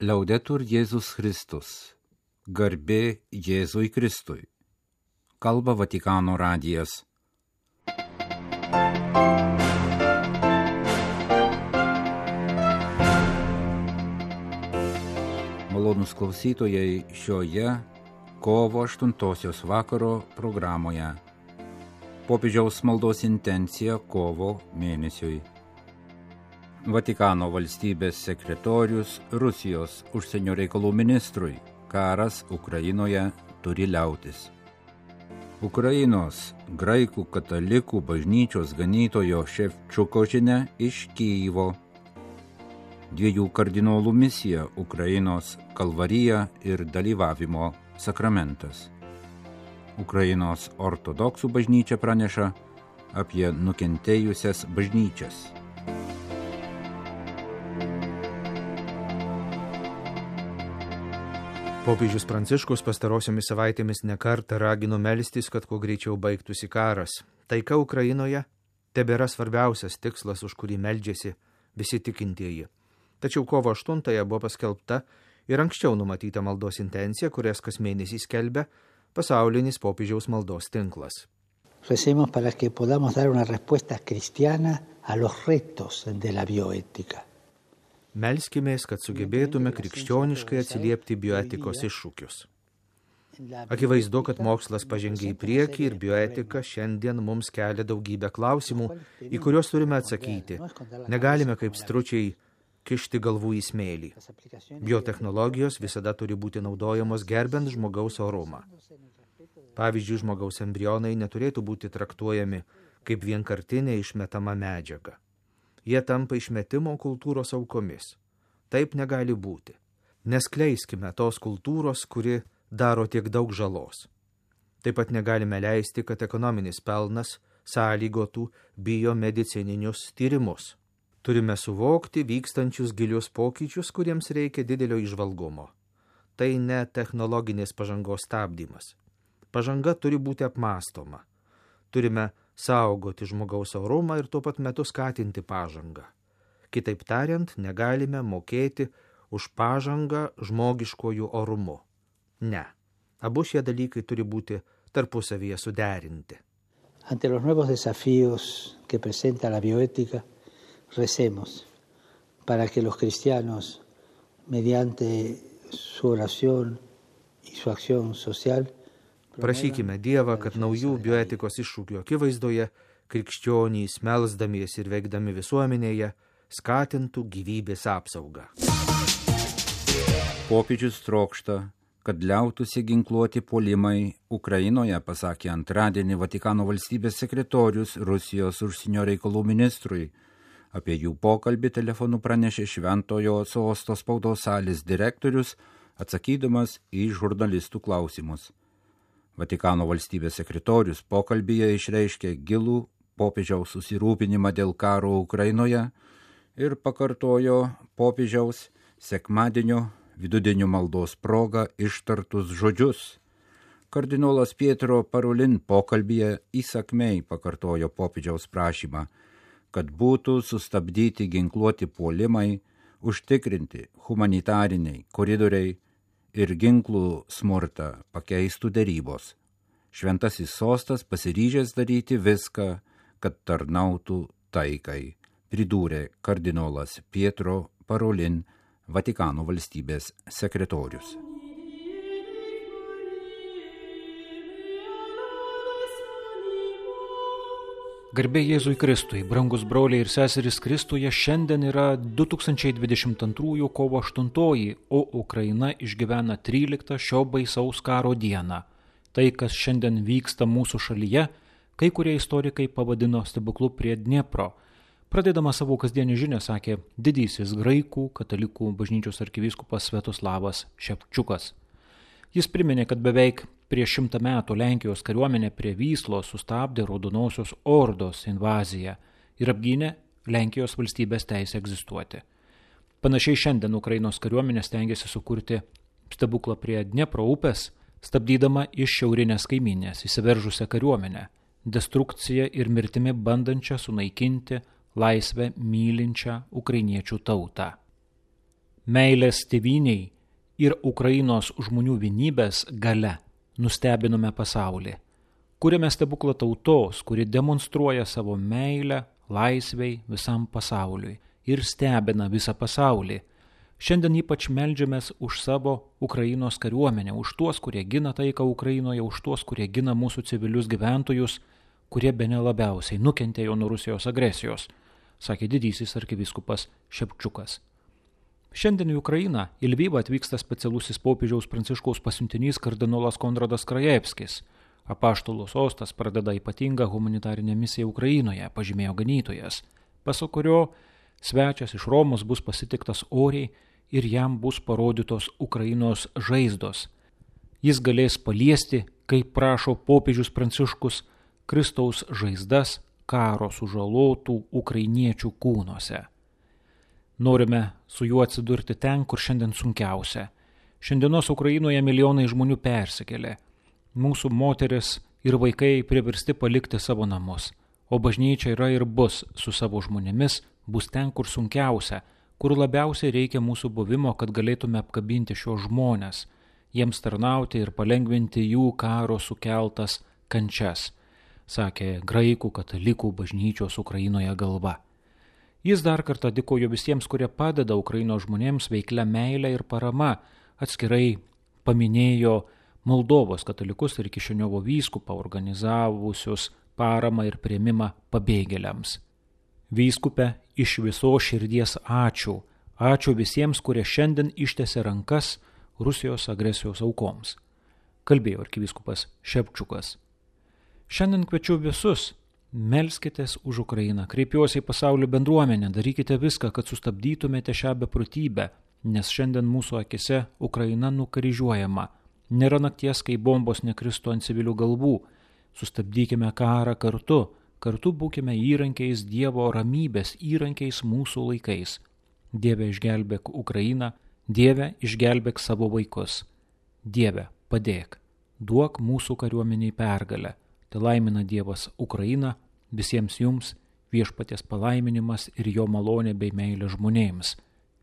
Liaudetur Jėzus Kristus. Garbė Jėzui Kristui. Kalba Vatikano radijas. Malonūs klausytojai, šioje kovo 8 vakaro programoje popiežiaus maldos intencija kovo mėnesiui. Vatikano valstybės sekretorius Rusijos užsienio reikalų ministrui: karas Ukrainoje turi liautis. Ukrainos graikų katalikų bažnyčios ganytojo Ševčiuko žinia iš Kijevo. 2 kardinolų misija Ukrainos kalvarija ir dalyvavimo sakramentas. Ukrainos ortodoksų bažnyčia praneša apie nukentėjusias bažnyčias. Popiežius Pranciškus pastarosiomis savaitėmis nekartą ragino melstis, kad kuo greičiau baigtųsi karas. Taika Ukrainoje tebėra svarbiausias tikslas, už kurį meldžiasi visi tikintieji. Tačiau kovo 8 buvo paskelbta ir anksčiau numatyta maldos intencija, kurias kas mėnesį skelbia pasaulinis popiežiaus maldos tinklas. Recemos para que podamos dar una respuesta cristiana a los retos de la bioética. Melskimės, kad sugebėtume krikščioniškai atsiliepti bioetikos iššūkius. Akivaizdu, kad mokslas pažengia į priekį ir bioetika šiandien mums kelia daugybę klausimų, į kuriuos turime atsakyti. Negalime kaip stručiai kišti galvų į smėlį. Biotechnologijos visada turi būti naudojamos gerbent žmogaus orumą. Pavyzdžiui, žmogaus embrionai neturėtų būti traktuojami kaip vienkartinė išmetama medžiaga. Jie tampa išmetimo kultūros aukomis. Taip negali būti. Neskleiskime tos kultūros, kuri daro tiek daug žalos. Taip pat negalime leisti, kad ekonominis pelnas sąlygotų biomedicininius tyrimus. Turime suvokti vykstančius gilius pokyčius, kuriems reikia didelio įžvalgumo. Tai ne technologinės pažangos stabdymas. Pažanga turi būti apmąstoma. Turime saugoti žmogaus orumą ir tuo pat metu skatinti pažangą. Kitaip tariant, negalime mokėti už pažangą žmogiškojų orumu. Ne. Abu šie dalykai turi būti tarpusavyje suderinti. Ante los nuevos desafíos que presenta la bioética, recemos para que los cristianos, mediante su oración y su acción social, prašykime Dievą, kad naujų bioetikos iššūkių akivaizdoje krikščionys, melsdamiesi ir veikdami visuomenėje, skatintų gyvybės apsaugą. Popiežius trokšta, kad liautųsi ginkluoti puolimai Ukrainoje, pasakė antradienį Vatikano valstybės sekretorius Rusijos užsienio reikalų ministrui. Apie jų pokalbį telefonu pranešė Šventojo Sosto spaudos salės direktorius, atsakydamas į žurnalistų klausimus. Vatikano valstybės sekretorius pokalbyje išreiškė gilų popiežiaus susirūpinimą dėl karo Ukrainoje ir pakartojo popiežiaus sekmadienio vidudienio maldos proga ištartus žodžius. Kardinolas Pietro Parolin pokalbyje įsakmiai pakartojo popiežiaus prašymą, kad būtų sustabdyti ginkluoti puolimai, užtikrinti humanitariniai koridoriai ir ginklų smurtą pakeistų derybos. Šventasis sostas pasiryžęs daryti viską, kad tarnautų taikai, pridūrė kardinolas Pietro Parolin, Vatikano valstybės sekretorius. Garbė Jėzui Kristui, brangus broliai ir seserys Kristuje, šiandien yra 2022 kovo 8, o Ukraina išgyvena 13 šio baisaus karo dieną. Tai, kas šiandien vyksta mūsų šalyje, kai kurie istorikai pavadino stebuklu prie Dniepro. Pradėdama savo kasdienį žinią, sakė didysis graikų katalikų bažnyčios arkivyskupas Sviatoslavas Ševčiukas. Jis priminė, kad beveik prieš 100 metų Lenkijos kariuomenė prie Vyslos sustabdė Raudonosios ordos invaziją ir apgynė Lenkijos valstybės teisę egzistuoti. Panašiai šiandien Ukrainos kariuomenė stengiasi sukurti stebuklą prie Dniepro upės, stabdydama iš šiaurinės kaimynės įsiveržusią kariuomenę, destrukciją ir mirtimi bandančią sunaikinti laisvę mylinčią ukrainiečių tautą. meilės tėvyniai ir Ukrainos žmonių vienybės gale nustebinome pasaulį. Kuriame stebuklą tautos, kuri demonstruoja savo meilę laisvei visam pasauliui ir stebina visą pasaulį. Šiandien ypač meldžiamės už savo Ukrainos kariuomenę, už tuos, kurie gina taiką Ukrainoje, už tuos, kurie gina mūsų civilius gyventojus, kurie bene labiausiai nukentėjo nuo Rusijos agresijos, sakė didysis arkivyskupas Šepčiukas. Šiandien į Ukrainą, į Lvivą atvyksta specialusis popiežiaus Pranciškaus pasiuntinys kardinolas Konradas Krajevskis. Apaštalų sostas pradeda ypatingą humanitarinę misiją Ukrainoje, pažymėjo ganytojas, pasak kurio svečias iš Romos bus pasitiktas oriai ir jam bus parodytos Ukrainos žaizdos. Jis galės paliesti, kaip prašo popiežius Pranciškus, Kristaus žaizdas karo sužalotų ukrainiečių kūnuose. Norime su juo atsidurti ten, kur šiandien sunkiausia. Šiandienos Ukrainoje milijonai žmonių persikėlė. Mūsų moteris ir vaikai priversti palikti savo namus, o bažnyčia yra ir bus su savo žmonėmis, bus ten, kur sunkiausia, kur labiausiai reikia mūsų buvimo, kad galėtume apkabinti šios žmonės, jiems tarnauti ir palengvinti jų karo sukeltas kančias, sakė graikų katalikų bažnyčios Ukrainoje galva. Jis dar kartą dėkojo visiems, kurie padeda Ukrainos žmonėms veiklia meilė ir parama, atskirai paminėjo Moldovos katalikus ir Kišiniovo vyskupą organizavusius paramą ir priėmimą pabėgėliams. Vyskupe, iš viso širdies ačiū. Ačiū visiems, kurie šiandien ištėsė rankas Rusijos agresijos aukoms, kalbėjo arkivyskupas Šepčiukas. Šiandien kviečiu visus, melskitės už Ukrainą, kreipiuosi į pasaulio bendruomenę, darykite viską, kad sustabdytumėte šią beprotybę, nes šiandien mūsų akise Ukraina nukryžiuojama. Nėra nakties, kai bombos nekristų ant civilių galvų. Sustabdykime karą kartu būkime įrankiais Dievo ramybės, įrankiais mūsų laikais. Dieve, išgelbėk Ukrainą, Dieve, išgelbėk savo vaikus. Dieve, padėk, duok mūsų kariuomeniai pergalę. Tai laimina Dievas Ukrainą, visiems jums viešpaties palaiminimas ir jo malonė bei meilė žmonėms.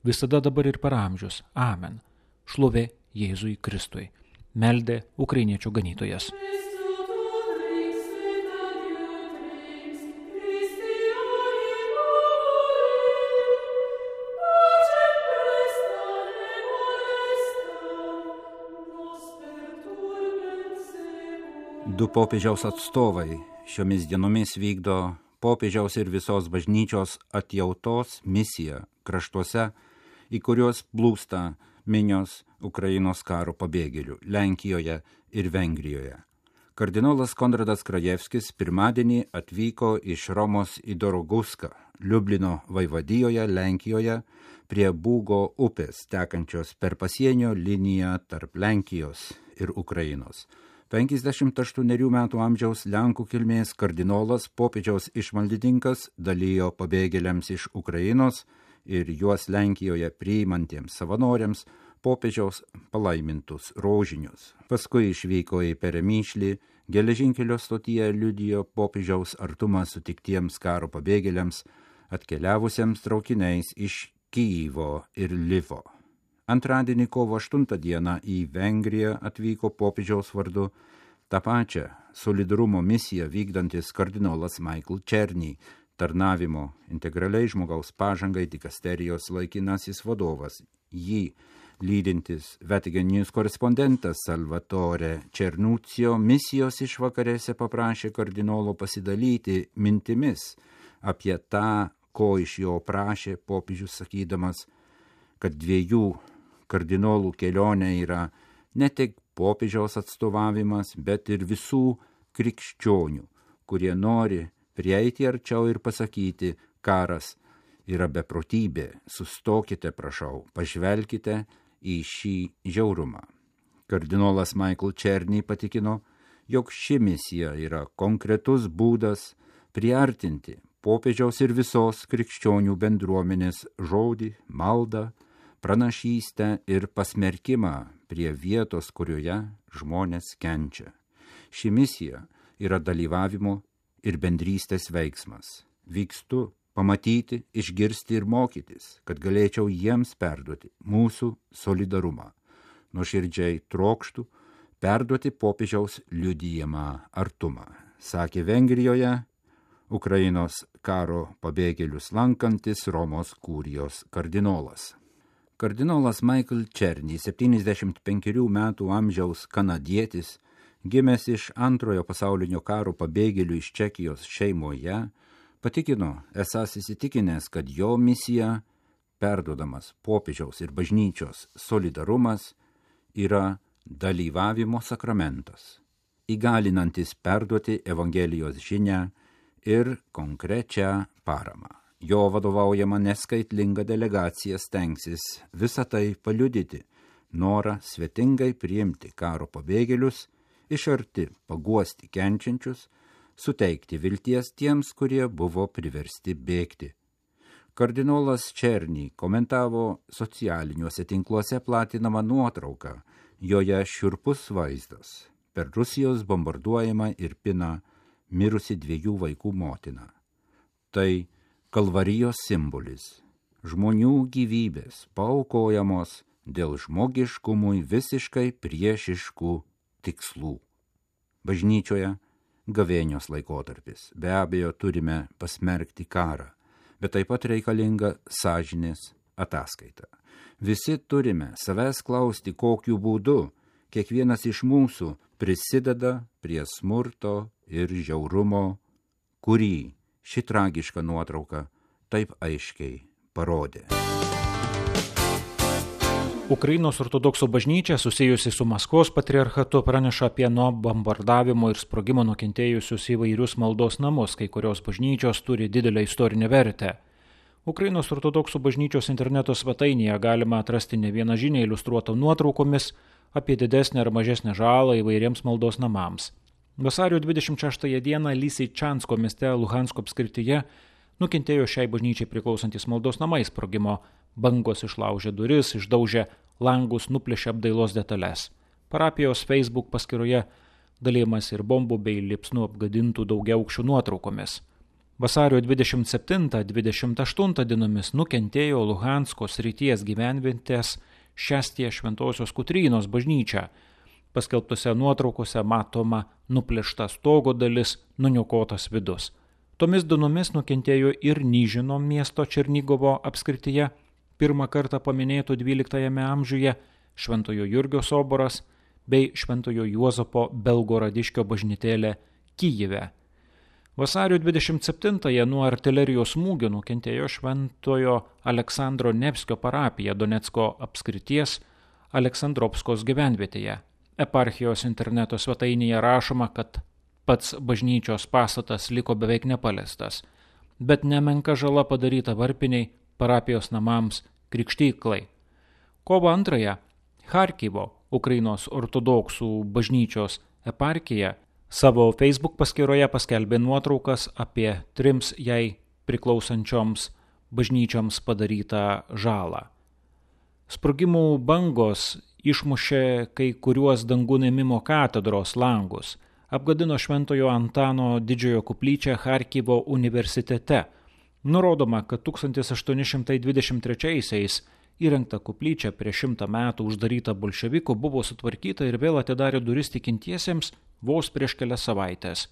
Visada dabar ir per amžius. Amen. Šlovė Jėzui Kristui. Meldė ukrainiečių ganytojas. Du popiežiaus atstovai šiomis dienomis vykdo popiežiaus ir visos bažnyčios atjautos misiją kraštuose, į kuriuos plūsta minios Ukrainos karo pabėgėlių Lenkijoje ir Vengrijoje. Kardinolas Konradas Krajevskis pirmadienį atvyko iš Romos į Doroguską, Liublino vaivadijoje Lenkijoje, prie Būgo upės, tekančios per pasienio liniją tarp Lenkijos ir Ukrainos. 58 metų amžiaus Lenkų kilmės kardinolas, popiežiaus išmaldininkas, dalijo pabėgėliams iš Ukrainos ir juos Lenkijoje priimantiems savanoriams popiežiaus palaimintus rožinius. Paskui išvyko į Peremyšlį, geležinkelio stotyje liudijo popiežiaus artumą sutiktiems karo pabėgėliams, atkeliavusiems traukiniais iš Kyjivo ir Lvivo. Antradienį kovo 8 dieną į Vengriją atvyko popiežiaus vardu tą pačią solidarumo misiją vykdantis kardinolas Michael Černy, tarnavimo integraliai žmogaus pažangai dikasterijos laikinasis vadovas. Jį lydintis Vatican News korespondentas Salvatore Černuccio misijos išvakarėse paprašė kardinolo pasidalyti mintimis apie tą, ko iš jo prašė popiežius, sakydamas, kad dviejų kardinolų kelionė yra ne tik popiežiaus atstovavimas, bet ir visų krikščionių, kurie nori prieiti arčiau ir pasakyti, karas yra beprotybė, sustokite, prašau, pažvelkite į šį žiaurumą. Kardinolas Michael Černy patikino, jog ši misija yra konkretus būdas priartinti popiežiaus ir visos krikščionių bendruomenės žodį, maldą, pranašystę ir pasmerkimą prie vietos, kurioje žmonės kenčia. Ši misija yra dalyvavimo ir bendrystės veiksmas. Vykstu pamatyti, išgirsti ir mokytis, kad galėčiau jiems perduoti mūsų solidarumą. Nuoširdžiai trokštų perduoti popiežiaus liudijamą artumą, sakė Vengrijoje Ukrainos karo pabėgėlius lankantis Romos kurijos kardinolas. Kardinolas Michael Černy, 75 metų amžiaus kanadietis, gimęs iš Antrojo pasaulinio karo pabėgėlių iš Čekijos šeimoje, patikino, esąs įsitikinęs, kad jo misija, perduodamas popiežiaus ir bažnyčios solidarumas, yra dalyvavimo sakramentas, įgalinantis perduoti Evangelijos žinią ir konkrečią paramą. Jo vadovaujama neskaitlinga delegacija stengsis visą tai paliudyti, norą svetingai priimti karo pabėgėlius, iš arti paguosti kenčiančius, suteikti vilties tiems, kurie buvo priversti bėgti. Kardinolas Černy komentavo socialiniuose tinkluose platinamą nuotrauką, joje šiurpus vaizdas. Per Rusijos bombarduojama ir pina mirusi 2 vaikų motina. Tai Kalvarijos simbolis. Žmonių gyvybės paaukojamos dėl žmogiškumui visiškai priešiškų tikslų. Bažnyčioje gavėnios laikotarpis. Be abejo, turime pasmerkti karą, bet taip pat reikalinga sąžinės ataskaita. Visi turime savęs klausti, kokiu būdu kiekvienas iš mūsų prisideda prie smurto ir žiaurumo, kurį ši tragiška nuotrauka taip aiškiai parodė. Ukrainos ortodoksų bažnyčia, susijusi su Maskvos patriarchatu, praneša apie nuo bombardavimo ir sprogimo nukentėjusius įvairius maldos namus, kai kurios bažnyčios turi didelę istorinę vertę. Ukrainos ortodoksų bažnyčios interneto svetainėje galima atrasti ne vieną žinią iliustruotą nuotraukomis apie didesnę ar mažesnę žalą įvairiems maldos namams. Vasario 26 dieną Lysyčansko mieste Luhansko apskrityje nukentėjo šiai bažnyčiai priklausantis maldos namai. Sprogimo bangos išlaužė duris, išdaužė langus, nuplėšė apdailos detalės. Parapijos Facebook paskyroje dalymas ir bombų bei liepsnų apgadintų daugiaaukščių nuotraukomis. Vasario 27-28 dienomis nukentėjo Luhansko srities gyvenvietės Šestie Šventosios Kotrynos bažnyčia. Paskelbtose nuotraukose matoma nuplėšta stogo dalis, nuniokotas vidus. Tomis dienomis nukentėjo ir Nyžino miesto Černigovo apskrityje, pirmą kartą paminėtų 12 amžiuje, Šventojo Jurgio soboras bei Šventojo Juozapo Belgoradiškio bažnytėlė Kyjive. Vasario 27-ąją nuo artilerijos smūgio nukentėjo Šventojo Aleksandro Nevskio parapija Donecko apskrities Aleksandropskos gyvenvietėje. Eparchijos interneto svetainėje rašoma, kad pats bažnyčios pastatas liko beveik nepaliestas, bet nemenka žala padaryta varpiniai, parapijos namams, krikštyklai. Kovo 2-ąją Charkivo, Ukrainos ortodoksų bažnyčios eparchija, savo Facebook paskyroje paskelbė nuotraukas apie 3 jai priklausančioms bažnyčioms padarytą žalą. Sprogimų bangos išmušė kai kuriuos dangun ėmimo katedros langus, apgadino Šventojo Antano didžiojo koplyčią Charkivo universitete. Nurodoma, kad 1823-aisiais įrengta koplyčia prieš 100 metų uždaryta bolševikų buvo sutvarkyta ir vėl atidarė duris tikintiesiems vos prieš kelias savaitės,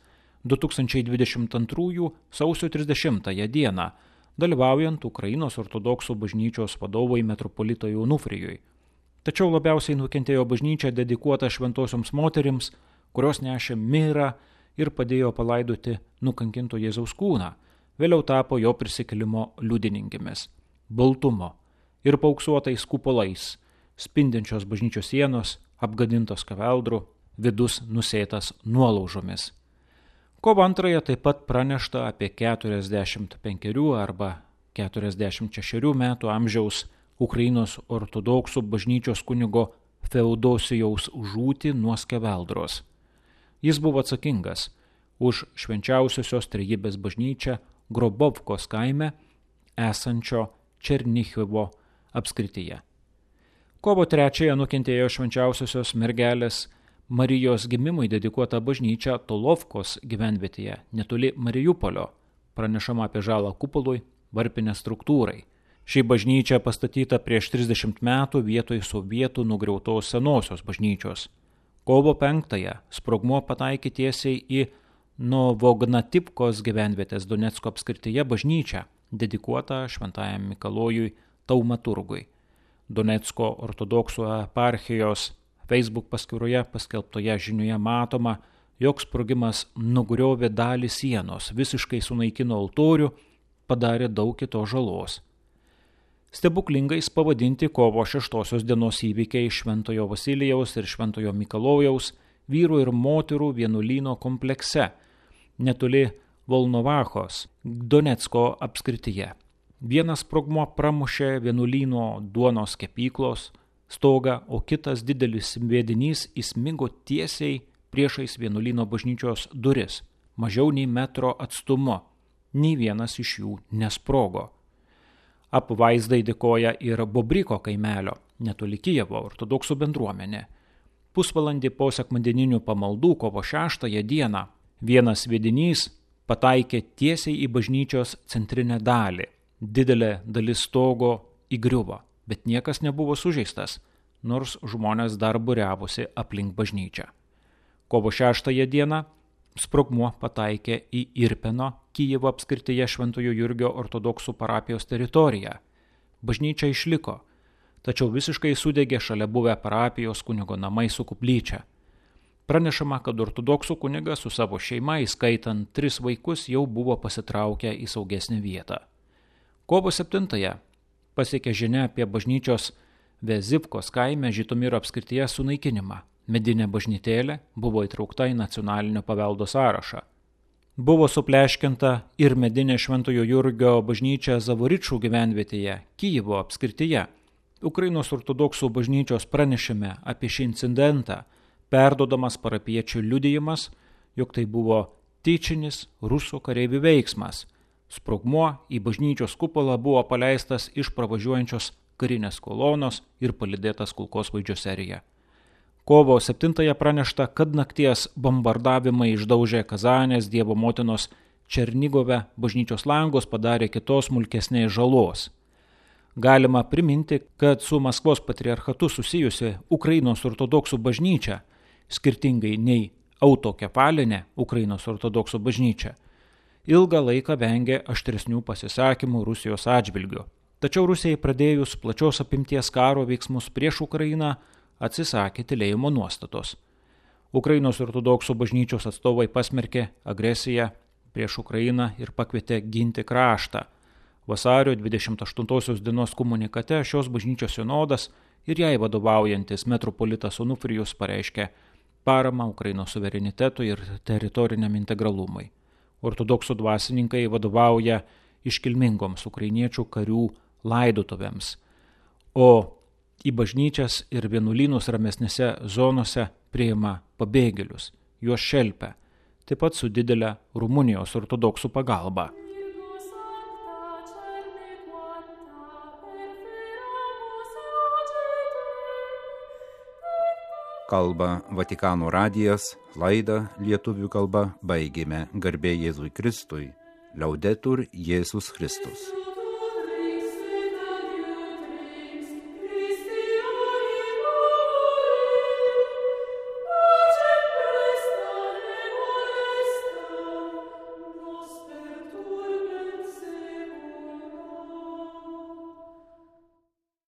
2022 sausio 30 dieną, dalyvaujant Ukrainos ortodoksų bažnyčios vadovui metropolitui Onufrijui. Tačiau labiausiai nukentėjo bažnyčia dedikuota šventosioms moterims, kurios nešė mirą ir padėjo palaidoti nukankinto Jėzaus kūną, vėliau tapo jo prisikėlimo liudininkėmis. Baltumo ir paauksuotais kupolais, spindinčios bažnyčios sienos, apgadintos kaveldrų, vidus nusėtas nuolaužomis. Kovo 2-ąją taip pat pranešta apie 45 arba 46 metų amžiaus Ukrainos ortodoksų bažnyčios kunigo Feodosijaus žūtį nuo skeveldros. Jis buvo atsakingas už švenčiausiosios trejybės bažnyčią Grobovkos kaime esančio Černichivo apskrityje. Kovo 3-ąją nukentėjo švenčiausiosios mergelės Marijos gimimui dedikuota bažnyčia Tolovkos gyvenvietėje, netoli Mariupolio. Pranešama apie žalą kupolui, varpinės struktūrai. Ši bažnyčia pastatyta prieš 30 metų vietoj sovietų nugriautos senosios bažnyčios. Kovo 5-ąją sprogmuo pataikė tiesiai į Novognatipkos gyvenvietės Donecko apskrityje bažnyčią, dedikuotą šventajam Mikalojui Taumaturgui. Donecko ortodoksų eparchijos Facebook paskyroje paskelbtoje žinioje matoma, jog sprogimas nugriovė dalį sienos, visiškai sunaikino altorių, padarė daug kitos žalos. Stebuklingais pavadinti kovo 6 dienos įvykiai Šventojo Vasilijaus ir Šventojo Mikalojaus vyrų ir moterų vienuolyno komplekse, netoli Volnovachos, Donecko apskrityje. Vienas sprogmuo pramušė vienuolyno duonos kepyklos stogą, o kitas didelis sviedinys įsmigo tiesiai priešais vienuolyno bažnyčios duris, mažiau nei metro atstumu. Nei vienas iš jų nesprogo. Apvaizdai dėkoja ir Bobriko kaimelio, netoli Kijevo ortodoksų bendruomenė. Pusvalandį po sekmadieninių pamaldų kovo 6 dieną vienas sviedinys pataikė tiesiai į bažnyčios centrinę dalį. Didelė dalis stogo įgriuvo, bet niekas nebuvo sužeistas, nors žmonės dar būriavosi aplink bažnyčią. Kovo 6 dieną sprogmuo pataikė į Irpeno, Kijevo apskrityje Šventojo Jurgio ortodoksų parapijos teritoriją. Bažnyčia išliko, tačiau visiškai sudegė šalia buvę parapijos kunigo namai su koplyčia. Pranešama, kad ortodoksų kunigas su savo šeima, įskaitant 3 vaikus, jau buvo pasitraukę į saugesnę vietą. Kovo 7 pasiekė žinia apie bažnyčios Vezivkos kaime Žitomiro apskrityje sunaikinimą. Medinė bažnytėlė buvo įtraukta į nacionalinio paveldo sąrašą. Buvo supleškinta ir medinė Šventojo Jurgio bažnyčia Zavoričų gyvenvietėje, Kijevo apskrityje. Ukrainos ortodoksų bažnyčios pranešime apie šį incidentą, perdodamas parapiečių liudijimas, jog tai buvo tyčinis rusų kareivių veiksmas. Sprogmuo į bažnyčios kupolą buvo paleistas iš pravažiuojančios karinės kolonos ir palydėtas kulkosvaidžio serija. Kovo 7 pranešta, kad nakties bombardavimai išdaužė Kazanės Dievo motinos Černigove bažnyčios langus, padarė kitos smulkesnės žalos. Galima priminti, kad su Maskvos patriarchatu susijusi Ukrainos ortodoksų bažnyčia, skirtingai nei autokefalinė Ukrainos ortodoksų bažnyčia, ilgą laiką vengė aštresnių pasisakymų Rusijos atžvilgiu. Tačiau Rusijai pradėjus plačios apimties karo veiksmus prieš Ukrainą, atsisakė tylėjimo nuostatos. Ukrainos ortodoksų bažnyčios atstovai pasmerkė agresiją prieš Ukrainą ir pakvietė ginti kraštą. Vasario 28 dienos komunikate šios bažnyčios sinodas ir jai vadovaujantis metropolitas Onufrijus pareiškė paramą Ukrainos suverenitetui ir teritoriniam integralumui. Ortodoksų dvasininkai vadovauja iškilmingoms ukrainiečių karių laidotuvėms, o į bažnyčias ir vienuolynus ramesnėse zonose priima pabėgėlius, juos šelpia, taip pat su didelė Rumunijos ortodoksų pagalba. Kalba Vatikano radijas, laidą lietuvių kalba baigėme. Garbė Jėzui Kristui, Liaudetur Jėzus Kristus.